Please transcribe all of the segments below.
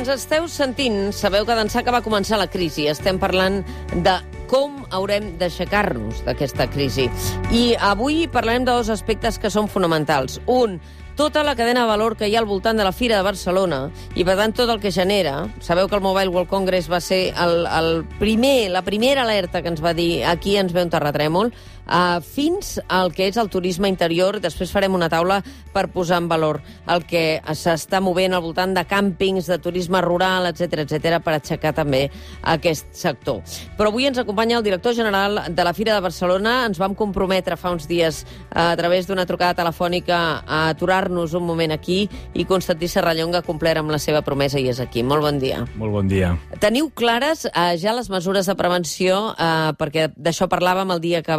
ens esteu sentint, sabeu que d'ençà que va començar la crisi estem parlant de com haurem d'aixecar-nos d'aquesta crisi. I avui parlarem de dos aspectes que són fonamentals. Un, tota la cadena de valor que hi ha al voltant de la Fira de Barcelona i, per tant, tot el que genera. Sabeu que el Mobile World Congress va ser la primera alerta que ens va dir aquí ens ve un terratrèmol, fins al que és el turisme interior. Després farem una taula per posar en valor el que s'està movent al voltant de càmpings, de turisme rural, etc per aixecar també aquest sector. Però avui ens acompanya el director general de la Fira de Barcelona. Ens vam comprometre fa uns dies a través d'una trucada telefònica a aturar-nos un moment aquí i Constantí Serrallonga ha complert amb la seva promesa i és aquí. Molt bon dia. Molt bon dia. Teniu clares ja les mesures de prevenció, perquè d'això parlàvem el dia que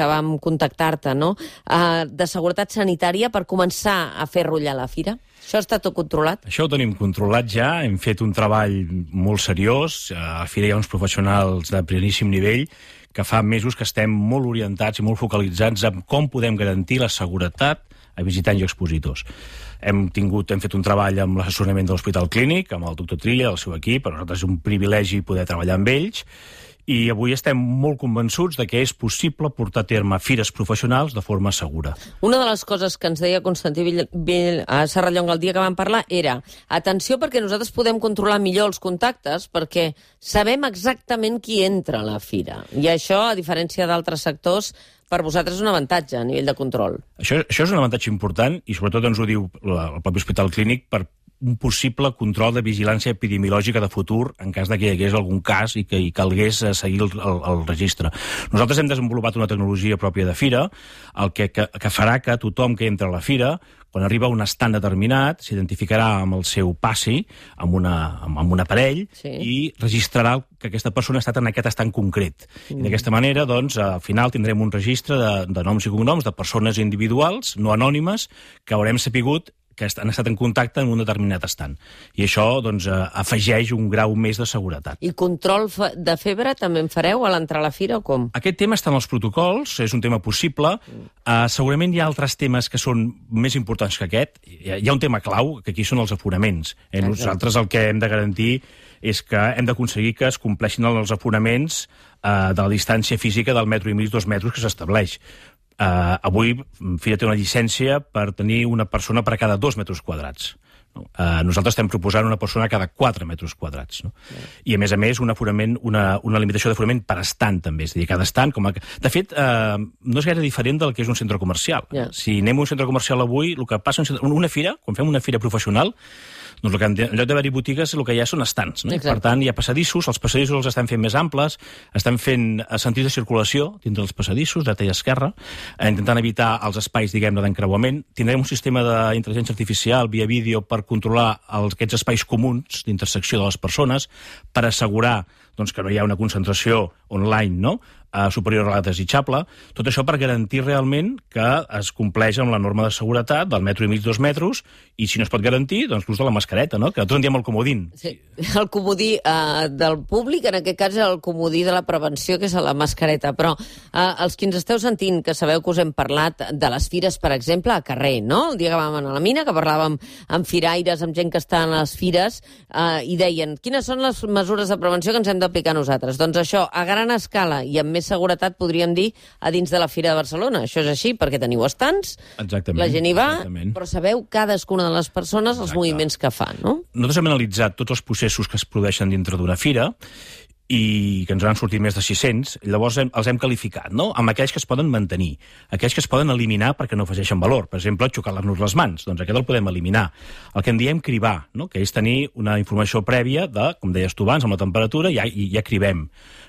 vam contactar-te, no? De seguretat sanitària per començar a fer rullar la fira? Això està tot controlat? Això ho tenim controlat ja, hem fet un treball molt seriós, a la fira hi ha uns professionals de primeríssim nivell que fa mesos que estem molt orientats i molt focalitzats en com podem garantir la seguretat a visitants i expositors. Hem fet un treball amb l'assessorament de l'Hospital Clínic, amb el doctor Trilla, el seu equip, per nosaltres és un privilegi poder treballar amb ells, i avui estem molt convençuts de que és possible portar a terme fires professionals de forma segura. Una de les coses que ens deia Constantí Serrallonga el dia que vam parlar era atenció perquè nosaltres podem controlar millor els contactes perquè sabem exactament qui entra a la fira. I això, a diferència d'altres sectors, per vosaltres és un avantatge a nivell de control. Això és un avantatge important i sobretot ens ho diu el propi Hospital Clínic per un possible control de vigilància epidemiològica de futur en cas de que hi hagués algun cas i que hi calgués seguir el registre. Nosaltres hem desenvolupat una tecnologia pròpia de fira, el que farà que tothom que entra a la fira, quan arriba a un estand determinat, s'identificarà amb el seu passi, amb un aparell, sí, i registrarà que aquesta persona ha estat en aquest estand concret. I d'aquesta manera, doncs, al final tindrem un registre de noms i cognoms de persones individuals, no anònimes, que haurem sapigut que han estat en contacte en un determinat estant. I això, doncs, afegeix un grau més de seguretat. I control de febre també en fareu a l'entrar a la fira o com? Aquest tema està en els protocols, és un tema possible. Segurament hi ha altres temes que són més importants que aquest. Hi ha un tema clau, que aquí són els aforaments. Nosaltres el que hem de garantir és que hem d'aconseguir que es compleixin els aforaments de la distància física del 1,5 metres, 2 metres que s'estableix. Avui Fira té una llicència per tenir una persona per cada 2 metres quadrats. Nosaltres estem proposant una persona cada 4 metres quadrats. No? I, a més, una limitació d'aforament per estant, també. És a dir, cada estant... De fet, no és gaire diferent del que és un centre comercial. Si anem a un centre comercial avui, el que passa en una fira, quan fem una fira professional, doncs en lloc d'haver-hi botigues, el que hi ha són estants. No? Per tant, hi ha passadissos, els passadissos els estan fent més amples, estan fent sentits de circulació dintre dels passadissos, dreta i esquerra, intentant evitar els espais, diguem-ne, d'encreuament. Tindrem un sistema d'intel·ligència artificial via vídeo per controlar aquests espais comuns d'intersecció de les persones, per assegurar que no hi ha una concentració online, no?, superior a la desitjable. Tot això per garantir realment que es compleix amb la norma de seguretat del 1,5 metres, 2 metres, i si no es pot garantir, doncs l'ús de la mascareta, no?, que nosaltres en diem el comodín. Sí. El comodí del públic, en aquest cas, és el comodí de la prevenció, que és la mascareta. Però els que ens esteu sentint, que sabeu que us hem parlat de les fires, per exemple, a carrer, no? El dia que vam anar a la mina, que parlàvem amb firaires, amb gent que està a les fires, i deien, quines són les mesures de prevenció que ens hem d'aplicar nosaltres? Doncs això, a gran escala i amb més seguretat, podríem dir, a dins de la Fira de Barcelona. Això és així, perquè teniu estants, la gent hi va, però sabeu cadascuna de les persones els moviments que fan, no? Nosaltres hem analitzat tots els processos que es produeixen dintre d'una fira i que ens han sortit més de 600, llavors els hem qualificat, no?, amb aquells que es poden mantenir, aquells que es poden eliminar perquè no afegeixen valor. Per exemple, xocar-nos les mans, doncs aquest el podem eliminar. El que en diem cribar, no?, que és tenir una informació prèvia de, com deies tu abans, amb la temperatura, ja cribem.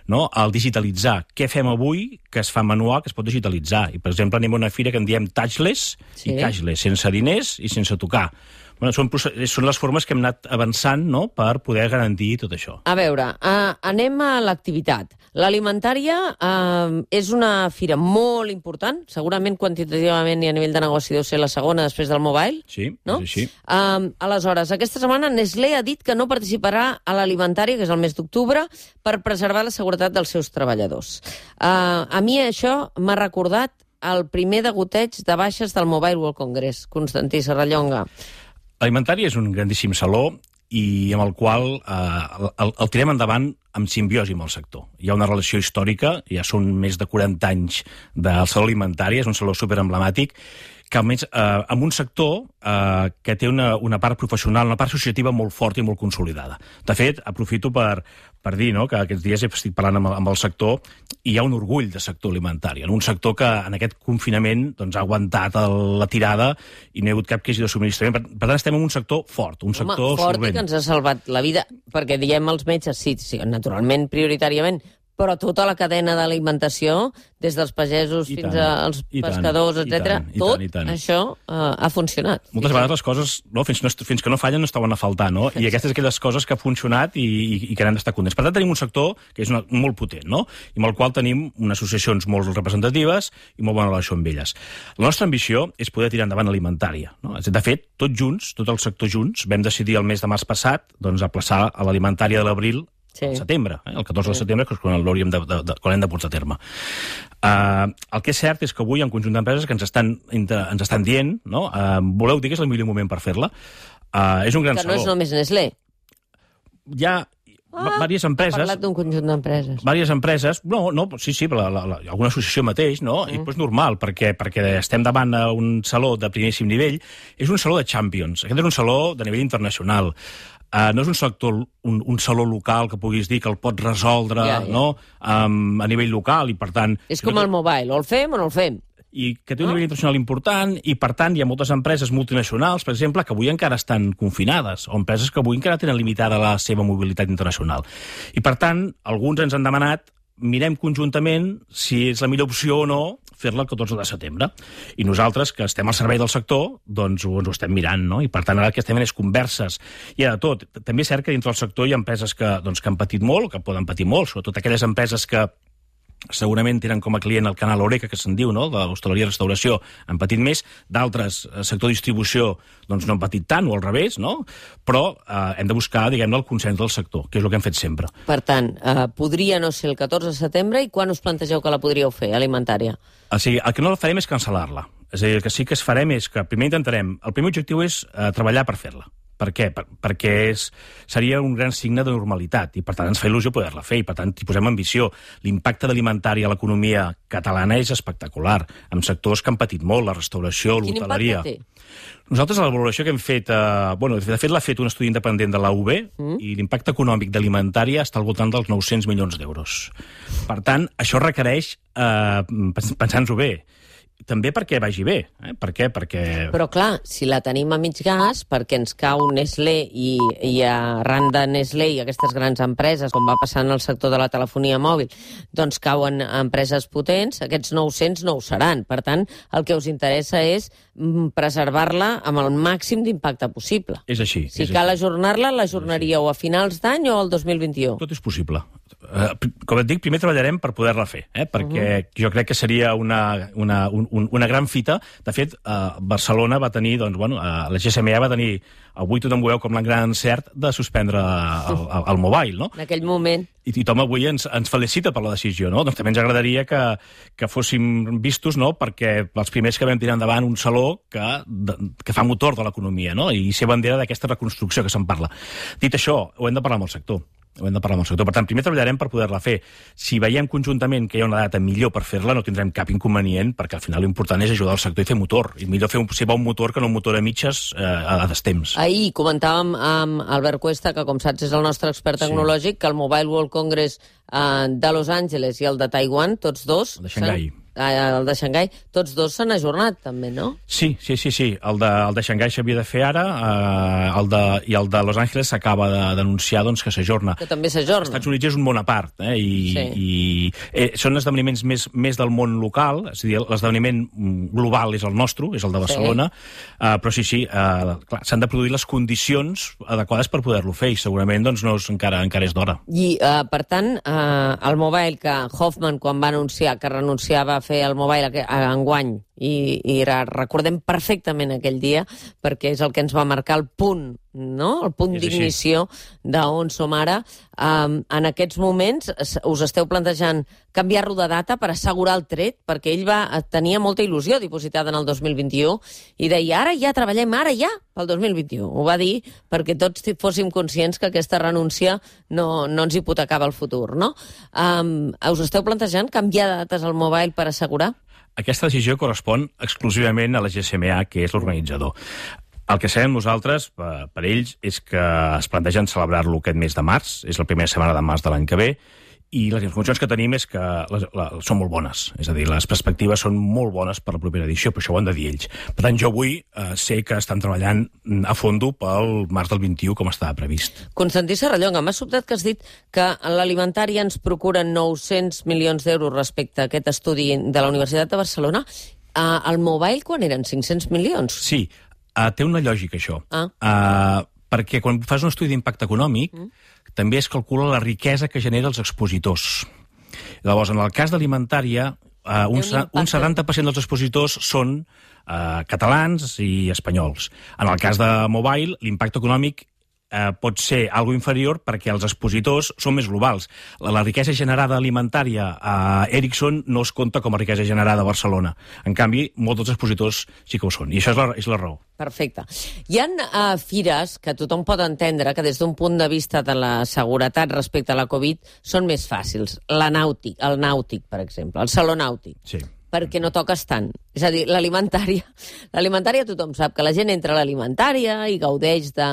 No? El digitalitzar. Què fem avui que es fa manual, que es pot digitalitzar? I, per exemple, anem a una fira que en diem touchless i cashless, sense diners i sense tocar. Bueno, són les formes que hem anat avançant, no?, per poder garantir tot això. A veure, anem a l'activitat. L'alimentària és una fira molt important, segurament quantitativament i a nivell de negoci deu ser la segona després del Mobile. Sí, no? És així. Aleshores, aquesta setmana Nestlé ha dit que no participarà a l'alimentària, que és el mes d'octubre, per preservar la seguretat dels seus treballadors. A mi això m'ha recordat el primer degoteig de baixes del Mobile World Congress, Constantí Serrallonga. L'alimentari és un grandíssim saló i amb el qual el tirem endavant amb simbiosi amb el sector. Hi ha una relació històrica, ja són més de 40 anys del Saló Alimentari, és un saló superemblemàtic, que almenys amb un sector que té una part professional, una part associativa molt forta i molt consolidada. De fet, aprofito per dir, no?, que aquests dies estic parlant amb el sector i hi ha un orgull de sector alimentari, en un sector que en aquest confinament doncs, ha aguantat la tirada i no hi ha hagut cap crisi de subministrament. Per tant, estem en un sector fort, un sector fort solvent. I que ens ha salvat la vida, perquè diem els metges, sí, naturalment, prioritàriament, però tota la cadena d'alimentació, des dels pagesos fins als pescadors, etc., tot això ha funcionat. Moltes vegades les coses, no, fins que no fallen, no es troben a faltar, no? I aquestes aquelles coses que ha funcionat i que n'hem d'estar contents. Per tant, tenim un sector que és molt potent, no? I amb el qual tenim unes associacions molt representatives i molt bona relació amb elles. La nostra ambició és poder tirar endavant alimentària, no? De fet, tots junts, tot el sector junts, vam decidir el mes de març passat doncs, aplaçar a l'alimentària de l'abril al setembre, el 14 de setembre, que és quan l'hauríem quan hem de portar a terme. El que és cert és que avui hi ha un conjunt d'empreses que ens estan dient, no? Voleu dir que és el millor moment per fer-la? És un gran saló. Que no és només Nestlé. Hi ha diverses empreses... Ha parlat d'un conjunt d'empreses. Diverses empreses, sí, alguna associació mateix, no? I és normal, perquè estem davant d'un saló de primeríssim nivell. És un saló de Champions. Aquest és un saló de nivell internacional. No és un saló local que puguis dir que el pots resoldre no? A nivell local i per tant... És com el Mobile, o el fem o no el fem. I que té un nivell internacional important i per tant hi ha moltes empreses multinacionals, per exemple, que avui encara estan confinades o empreses que avui encara tenen limitada la seva mobilitat internacional. I per tant, alguns ens han demanat mirem conjuntament si és la millor opció o no fer-la el 14 de setembre. I nosaltres, que estem al servei del sector, doncs ens ho estem mirant, no? I per tant ara el que estem és converses. Hi ha de tot. També és cert que dintre del sector hi ha empreses que han patit molt, que poden patir molt, sobretot aquelles empreses que segurament tenen com a client el canal Horeca, que se'n diu, no?, de l'hostaleria i restauració, han patit més, d'altres, sector distribució, doncs no han patit tant, o al revés, no? Però hem de buscar, diguem-ne, el consens del sector, que és el que hem fet sempre. Per tant, podria no ser el 14 de setembre, i quan us plantegeu que la podríeu fer, alimentària? O sigui, el que no farem és cancel·lar-la. És a dir, el que sí que farem és que primer intentarem... El primer objectiu és treballar per fer-la. Per què? Perquè seria un gran signe de normalitat i, per tant, ens fa il·lusió poder-la fer i, per tant, hi posem ambició. L'impacte d'alimentari a l'economia catalana és espectacular, amb sectors que han patit molt, la restauració, l'hoteleria. Quin impacte té? Nosaltres, la valoració que hem fet... de fet, l'ha fet un estudi independent de la UB i l'impacte econòmic d'alimentària està al voltant dels 900 milions d'euros. Per tant, això requereix pensar-nos-ho bé. També perquè vagi bé. Per què? Perquè... Però, clar, si la tenim a mig gas, perquè ens cau Nestlé i arran de Nestlé i aquestes grans empreses, com va passar en el sector de la telefonia mòbil, doncs cauen empreses potents, aquests 900 no ho seran. Per tant, el que us interessa és preservar-la amb el màxim d'impacte possible. És així. Si cal ajornar-la, l'ajornaríeu a finals d'any o al 2021? Tot és possible. Com et dic, primer treballarem per poder-la fer, perquè jo crec que seria una gran fita. De fet, Barcelona va tenir, doncs, la GSMA va tenir, avui tothom ho veu com el gran encert de suspendre el mobile, no? En aquell moment. I tothom avui ens felicita per la decisió, no? Doncs també ens agradaria que fóssim vistos, no?, perquè els primers que vam tirar endavant un saló que fa motor de l'economia, no?, i ser bandera d'aquesta reconstrucció que se'n parla. Dit això, ho hem de parlar amb el sector. Per tant, primer treballarem per poder-la fer. Si veiem conjuntament que hi ha una data millor per fer-la, no tindrem cap inconvenient, perquè al final l'important és ajudar el sector i fer motor. I millor fer un motor que no un motor a mitges a destemps. Ahir comentàvem amb Albert Cuesta, que com saps és el nostre expert tecnològic, que el Mobile World Congress de Los Angeles i el de Taiwan, tots dos... El de Xangai. El de Xangai, tots dos s'han ajornat, també, no? Sí. El de Xangai s'havia de fer ara, i el de Los Angeles s'acaba d'anunciar que s'ajorna. Que també s'ajorna. Els Estats Units és un món a part, i són esdeveniments més del món local, és a dir, l'esdeveniment global és el nostre, és el de Barcelona, però clar, s'han de produir les condicions adequades per poder-lo fer, i segurament encara és d'hora. I, per tant, el Mobile, que Hoffman, quan va anunciar que renunciava a fer el Mobile enguany, i recordem perfectament aquell dia, perquè és el que ens va marcar el punt no? El punt d'ignició d'on som ara. En aquests moments us esteu plantejant canviar-lo de data per assegurar el tret, perquè ell tenia molta il·lusió dipositada en el 2021 i deia, ara ja treballem, ara ja, pel 2021. Ho va dir perquè tots fóssim conscients que aquesta renúncia no ens hipotecava el futur, no? Us esteu plantejant canviar de dates al mobile per assegurar? Aquesta decisió correspon exclusivament a la GSMA, que és l'organitzador. El que sabem nosaltres, per ells, és que es plantegen celebrar-lo aquest mes de març, és la primera setmana de març de l'any que ve, i les informacions que tenim és que són molt bones. És a dir, les perspectives són molt bones per la propera edició, però això ho han de dir ells. Per tant, jo avui sé que estan treballant a fondo pel març del 21, com estava previst. Constantí Serrallonga, m'ha sobtat que has dit que l'alimentària ens procura 900 milions d'euros respecte a aquest estudi de la Universitat de Barcelona. El mobile, quan eren? 500 milions? Sí. Té una lògica, això. Perquè quan fas un estudi d'impacte econòmic, també es calcula la riquesa que genera els expositors. Llavors, en el cas d'alimentària, un 70% dels expositors són catalans i espanyols. En el cas de mobile, l'impacte econòmic pot ser algo inferior perquè els expositors són més globals. La riquesa generada alimentària a Ericsson no es compta com a riquesa generada a Barcelona. En canvi, molts dels expositors sí que ho són. I això és la raó. Perfecte. Hi ha fires que tothom pot entendre que des d'un punt de vista de la seguretat respecte a la Covid són més fàcils. El nàutic, per exemple, el saló nàutic. Sí. Perquè no toques tant. És a dir, l'alimentària tothom sap que la gent entra a l'alimentària i gaudeix de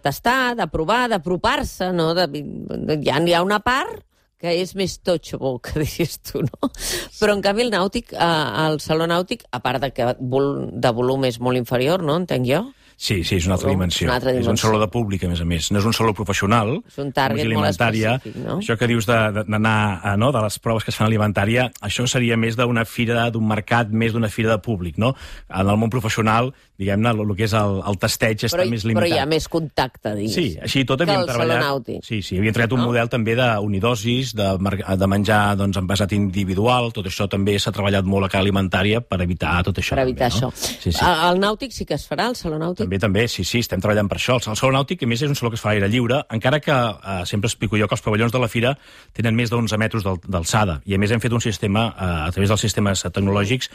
tastar, de provar, d'apropar-se, no? Hi ha una part que és més touchable, que diries tu, no? Però, en canvi, el saló nàutic, a part de volum és molt inferior, no? Entenc jo? Sí, és una altra dimensió. És un saló de públic, a més. No és un saló professional. És un target molt específic, no? Això que dius d'anar, de les proves que es fan a alimentària, això seria més d'una fira, d'un mercat, més d'una fira de públic, no? En el món professional, diguem-ne, el que és el tasteig està més limitat. Però hi ha més contacte, digues. Sí, així tot havíem treballat... Sí, havíem treballat un model també d'unidosis, de menjar envasat individual, tot això també s'ha treballat molt a cada alimentària per evitar tot això. Per evitar això. El nàutic sí que es farà, el saló nàutic? També, sí, estem treballant per això. El saló nàutic, a més, és un saló que es fa a l'aire lliure, encara que sempre explico jo que els pavellons de la fira tenen més de 11 metres d'alçada, i a més hem fet un sistema, a través dels sistemes tecnològics,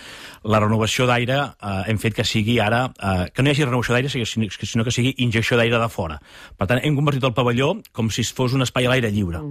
la renovació d'aire hem fet que sigui ara, que no hi hagi renovació d'aire, sinó que sigui injecció d'aire de fora. Per tant, hem convertit el pavelló com si fos un espai a l'aire lliure.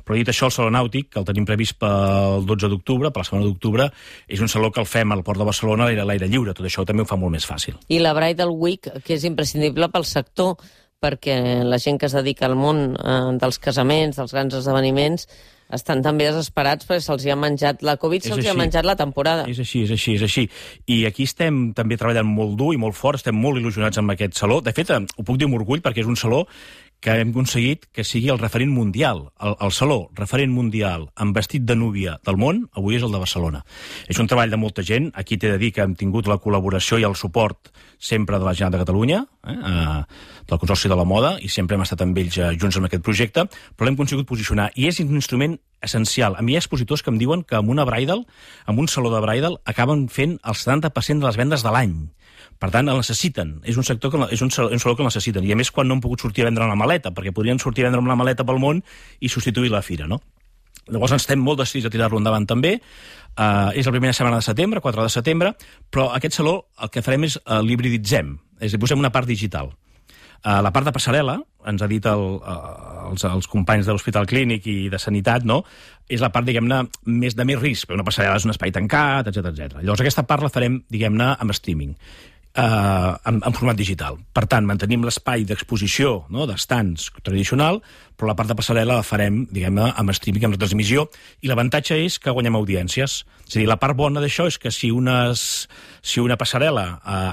Però dit això, el saló nàutic, que el tenim previst pel 12 d'octubre, per la setmana d'octubre, és un saló que el fem al Port de Barcelona a l'aire lliure. Tot això també ho fa molt més fàcil. I la Bridal Week, que és imprescindible pel sector, perquè la gent que es dedica al món dels casaments, dels grans esdeveniments, estan també desesperats perquè se'ls ha menjat la Covid, se'ls ha menjat la temporada. És així. I aquí estem també treballant molt dur i molt fort, estem molt il·lusionats amb aquest saló. De fet, ho puc dir amb orgull perquè és un saló que hem aconseguit que sigui el referent mundial. El saló referent mundial amb vestit de núvia del món, avui és el de Barcelona. És un treball de molta gent. Aquí t'he de dir que hem tingut la col·laboració i el suport sempre de la Generalitat de Catalunya, del Consorci de la Moda, i sempre hem estat amb ells junts en aquest projecte, però l'hem conseguit posicionar. I és un instrument essencial. A mi hi ha expositors que em diuen que amb una bridal, amb un saló de bridal, acaben fent el 70% de les vendes de l'any. Per tant, el necessiten. És un sector és un saló que el necessiten. I a més, quan no han pogut sortir a vendre una maleta, perquè podrien sortir a vendre una maleta pel món i substituir la fira, no? Llavors estem molt decidits a tirar-lo endavant també. És la primera setmana de setembre, 4 de setembre, però aquest saló el que farem és l'hibriditzem, és a dir, posem una part digital. La part de passarel·la, ens ha dit els companys de l'Hospital Clínic i de Sanitat, no? És la part, diguem-ne, de més risc, perquè una passarel·la és un espai tancat, etc. Llavors aquesta part la farem, diguem-ne, amb streaming, en format digital. Per tant, mantenim l'espai d'exposició, no?, d'estants tradicional, però la part de passarel·la la farem, diguem-ne, amb streaming, amb retransmissió, i l'avantatge és que guanyem audiències. És a dir, la part bona d'això és que si una passarel·la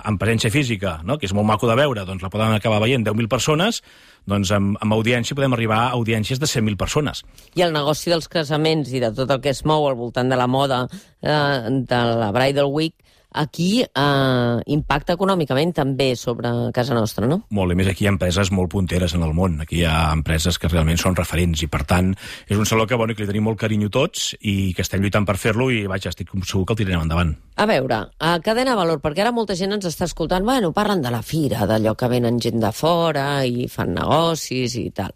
en presència física, no?, que és molt maco de veure, doncs la poden acabar veient 10.000 persones, doncs amb audiència podem arribar a audiències de 100.000 persones. I el negoci dels casaments i de tot el que es mou al voltant de la moda, de la Bridal Week, aquí impacta econòmicament també sobre casa nostra, no? Molt, i més aquí hi ha empreses molt punteres en el món. Aquí hi ha empreses que realment són referents i, per tant, és un saló que, bueno, que li tenim molt carinyo tots i que estem lluitant per fer-lo i, vaja, estic segur que el tirarem endavant. A veure, cadena de valor, perquè ara molta gent ens està escoltant, bueno, parlen de la fira, d'allò que venen gent de fora i fan negocis i tal.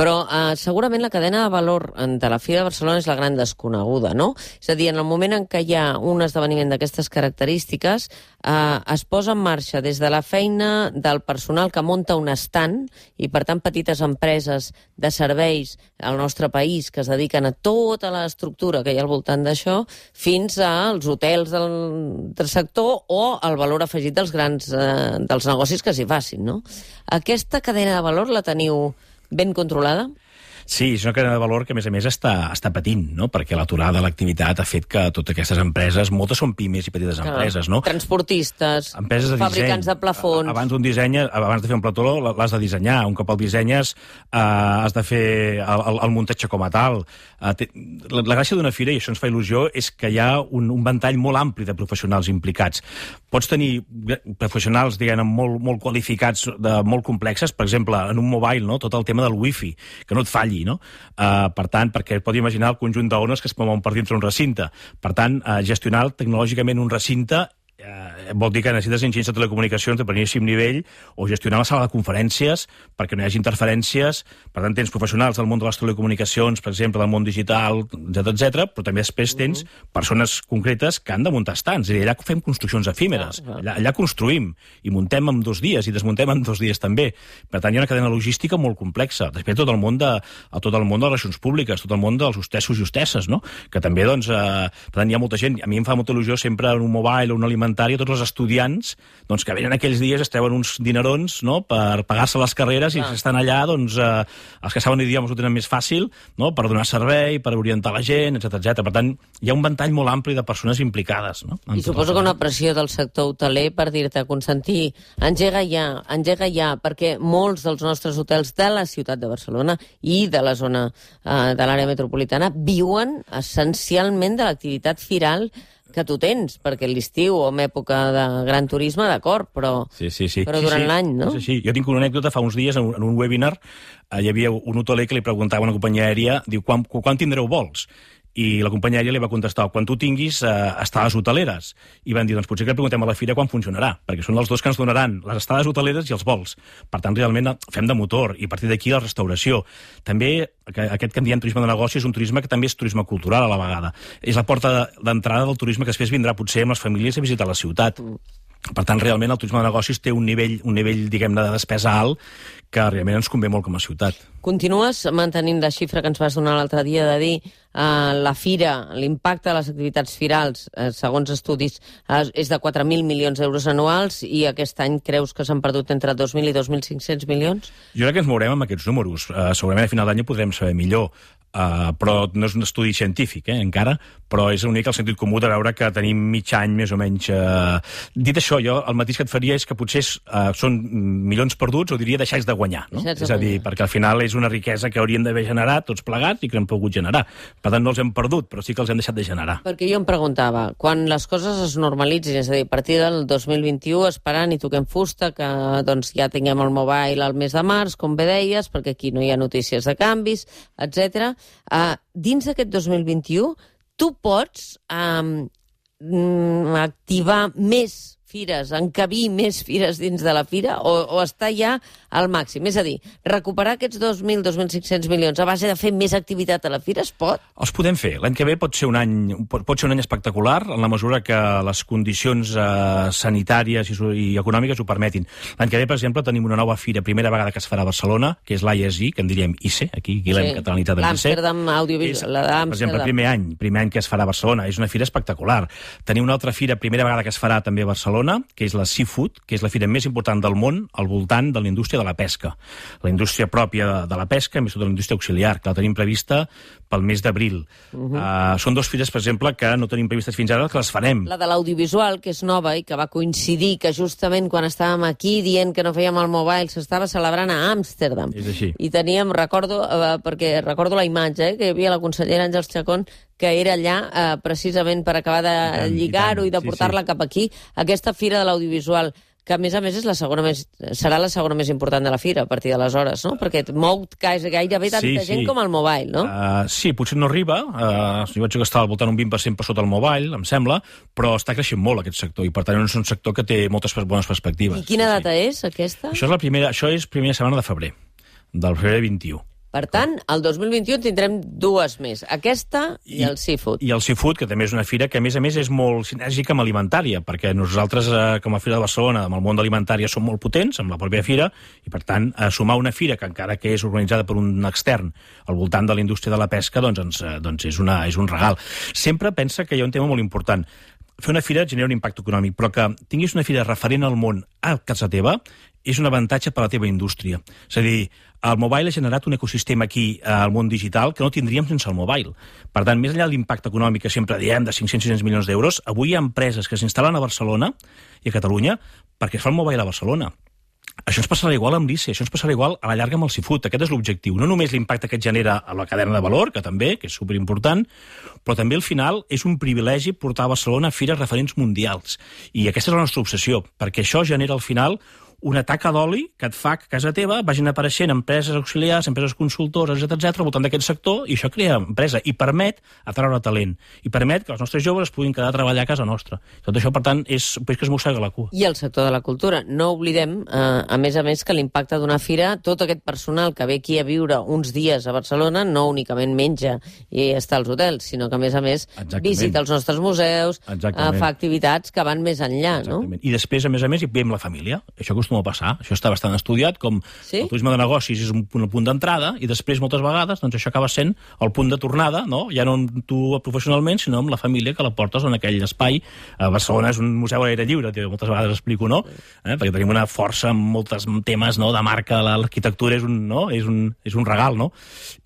Però segurament la cadena de valor de la Fira de Barcelona és la gran desconeguda, no? És a dir, en el moment en què hi ha un esdeveniment d'aquestes característiques, es posa en marxa des de la feina del personal que munta un estand i, per tant, petites empreses de serveis al nostre país que es dediquen a tota l'estructura que hi ha al voltant d'això, fins als hotels del sector o al valor afegit dels grans dels negocis que s'hi facin, no? Aquesta cadena de valor la teniu ben controlada? Sí, és una cadena de valor que, a més, està patint, no? Perquè l'aturada de l'activitat ha fet que totes aquestes empreses, moltes són pimes i petites empreses, no? Transportistes, empreses de fabricants disseny. de plafons... Abans de fer un plató l'has de dissenyar. Un cop el dissenyes has de fer el muntatge com a tal. La gràcia d'una fira, i això ens fa il·lusió, és que hi ha un ventall molt ampli de professionals implicats. Pots tenir professionals, diguem, molt qualificats, molt complexes, per exemple, en un mobile, no? Tot el tema del wifi, que no et falli, no? Per tant, perquè pot imaginar el conjunt d'ones que es mouen per dintre un recinte. Per tant, gestionar tecnològicament un recinte vol dir que necessites enginyers de telecomunicacions de primíssim nivell o gestionar la sala de conferències perquè no hi hagi interferències. Per tant, tens professionals del món de les telecomunicacions, per exemple, del món digital, etc, però també després tens persones concretes que han de muntar estants. És a dir, allà fem construccions efímeres. Allà construïm i muntem en 2 dies i desmuntem en 2 dies també. Per tant, hi ha una cadena logística molt complexa. Després, tot el món de les relacions públiques, tot el món dels hostessos i hostesses, no? Que també, doncs, per tant, hi ha molta gent. A mi em fa molta il·lusió sempre en un mobile o un alimentari, tots els estudiants doncs, que venen aquells dies, es treuen uns dinerons, no?, per pagar-se les carreres i estan allà, doncs, els que saben idiomes ho tenen més fàcil, no?, per donar servei, per orientar la gent, etc. Per tant, hi ha un ventall molt ampli de persones implicades, no? I suposo que una pressió del sector hoteler per dir-te, Constantí, engega ja, perquè molts dels nostres hotels de la ciutat de Barcelona i de la zona de l'àrea metropolitana viuen essencialment de l'activitat firal que tu tens, perquè l'estiu o en època de gran turisme, d'acord, però durant l'any, no? Sí. Jo tinc una anècdota, fa uns dies, en un webinar, hi havia un hoteler que li preguntava a una companyia aèria, diu, quan tindreu vols? I la companyia aèria li va contestar, quan tu tinguis estades hoteleres. I van dir, doncs potser que preguntem a la fira quan funcionarà, perquè són els dos que ens donaran les estades hoteleres i els vols. Per tant, realment fem de motor, i a partir d'aquí la restauració. També, aquest que en diem turisme de negoci és un turisme que també és turisme cultural a la vegada. És la porta d'entrada del turisme que després vindrà potser amb les famílies a visitar la ciutat. Per tant, realment, el turisme de negocis té un nivell diguem-ne, de despesa alt que realment ens convé molt com a ciutat. Continues mantenint la xifra que ens vas donar l'altre dia de dir la fira, l'impacte de les activitats firals, segons estudis, és de 4.000 milions d'euros anuals i aquest any creus que s'han perdut entre 2.000 i 2.500 milions? Jo crec que ens mourem amb aquests números. Segurament a final d'any ho podrem saber millor. Però no és un estudi científic, encara, però és una mica el sentit comú de veure que tenim mig any més o menys. Dit això, jo el mateix que et faria és que potser són milions perduts, o diria deixar de guanyar, no? És a dir, perquè al final és una riquesa que hauríem d'haver generat tots plegats i que hem pogut generar. Per tant, no els hem perdut, però sí que els hem deixat de generar. Perquè jo em preguntava, quan les coses es normalitzin, és a dir, a partir del 2021 esperant i toquem fusta, que doncs ja tinguem el mobile al mes de març, com bé deies, perquè aquí no hi ha notícies de canvis, etc. Dins d'aquest 2021, tu pots activar més fires, encabir més fires dins de la fira o està ja al màxim? És a dir, recuperar aquests 2.000, 2.500 milions a base de fer més activitat a la fira es pot? Els podem fer. L'any que ve pot ser un any espectacular en la mesura que les condicions sanitàries i econòmiques ho permetin. L'any que ve, per exemple, tenim una nova fira, primera vegada que es farà a Barcelona, que és l'ISE, que en diríem ICE, aquí l'hem catalanitzat en ICE. L'Amsterdam Audiovisual, la d'Amsterdam. Per exemple, primer any que es farà a Barcelona. És una fira espectacular. Tenim una altra fira, primera vegada que es farà també a Barcelona, que és la Seafood, que és la fira més important del món al voltant de la indústria de la pesca. La indústria pròpia de la pesca, més tota la indústria auxiliar, que la tenim prevista pel mes d'abril. Són 2 fires, per exemple, que no tenim previstes fins ara, que les farem. La de l'audiovisual, que és nova i que va coincidir que justament quan estàvem aquí dient que no fèiem el mobile s'estava celebrant a Amsterdam. És així. I teníem, perquè recordo la imatge, que hi havia la consellera Àngels Chacón que era allà precisament per acabar de lligar-ho i de portar-la cap aquí. Aquesta Fira de l'Audiovisual, que a més és serà la segona més important de la fira a partir d'aleshores, no? Perquè mou gairebé tanta gent com el mobile, no? Sí, potser no arriba. Jo vaig gastar al voltant un 20% per sota el mobile, em sembla, però està creixent molt aquest sector i per tant és un sector que té moltes bones perspectives. I quina data és, aquesta? Això és primera setmana de febrer, del febrer 21. Per tant, el 2021 tindrem dues més, aquesta i el Seafood. I el Seafood, que també és una fira que, a més és molt sinèrgica amb alimentària, perquè nosaltres, com a Fira de Barcelona, amb el món d'alimentària, som molt potents, amb la pròpia fira, i per tant, sumar una fira que encara que és organitzada per un extern al voltant de la indústria de la pesca, doncs és un regal. Sempre pensa que hi ha un tema molt important. Fer una fira genera un impacte econòmic, però que tinguis una fira referent al món a casa teva és un avantatge per a la teva indústria. És a dir, el mobile ha generat un ecosistema aquí al món digital que no tindríem sense el mobile. Per tant, més enllà de l'impacte econòmic que sempre diem de 500-600 milions d'euros, avui hi ha empreses que s'instal·len a Barcelona i a Catalunya perquè es fa el mobile a Barcelona. Això ens passarà igual amb l'ICE, això ens passarà igual a la llarga amb el Seafood. Aquest és l'objectiu. No només l'impacte que et genera a la cadena de valor, que també, que és superimportant, però també al final és un privilegi portar a Barcelona a fires referents mundials. I aquesta és la nostra obsessió, perquè això genera al final una taca d'oli que et fa que a casa teva vagin apareixent empreses auxiliars, empreses consultores, etc al voltant d'aquest sector, i això crea empresa i permet atraure talent, i permet que els nostres joves es puguin quedar a treballar a casa nostra. Tot això, per tant, és que es mossega la cua. I el sector de la cultura. No oblidem, a més, que l'impacte d'una fira, tot aquest personal que ve aquí a viure uns dies a Barcelona, no únicament menja i està als hotels, sinó que, a més, visita els nostres museus, fa activitats que van més enllà, no? I després, a més, hi ve amb la família. Això acostuma a passar. Això està bastant estudiat, com el turisme de negocis és un punt d'entrada i després, moltes vegades, doncs això acaba sent el punt de tornada, no? Ja no amb tu professionalment, sinó amb la família que la portes en aquell espai. A Barcelona és un museu a l'aire lliure, moltes vegades explico, no? Perquè tenim una força en molts temes, no? De marca, l'arquitectura és un regal, no?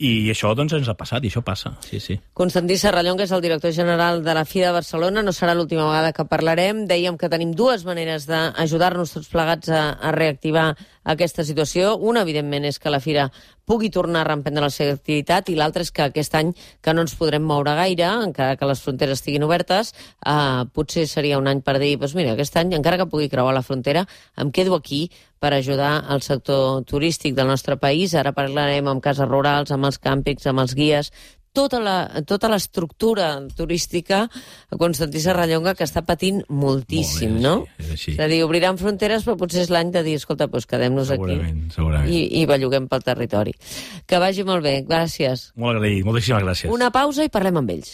I això, doncs, ens ha passat, i això passa. Sí. Constantí Serrallonga és el director general de la Fira de Barcelona. No serà l'última vegada que parlarem. Dèiem que tenim dues maneres d'ajudar-nos tots plegats a reactivar aquesta situació. Una, evidentment, és que la fira pugui tornar a reemprendre la seva activitat, i l'altra és que aquest any que no ens podrem moure gaire, encara que les fronteres estiguin obertes, potser seria un any per dir, doncs mira, aquest any, encara que pugui creuar la frontera, em quedo aquí per ajudar al sector turístic del nostre país. Ara parlarem amb cases rurals, amb els càmpings, amb els guies, tota l'estructura turística a Constantí Serrallonga, que està patint moltíssim, no? És a dir, obriran fronteres, però potser és l'any de dir, escolta, doncs quedem-nos aquí i belluguem pel territori. Que vagi molt bé, gràcies. Molt agraït, moltíssimes gràcies. Una pausa i parlem amb ells.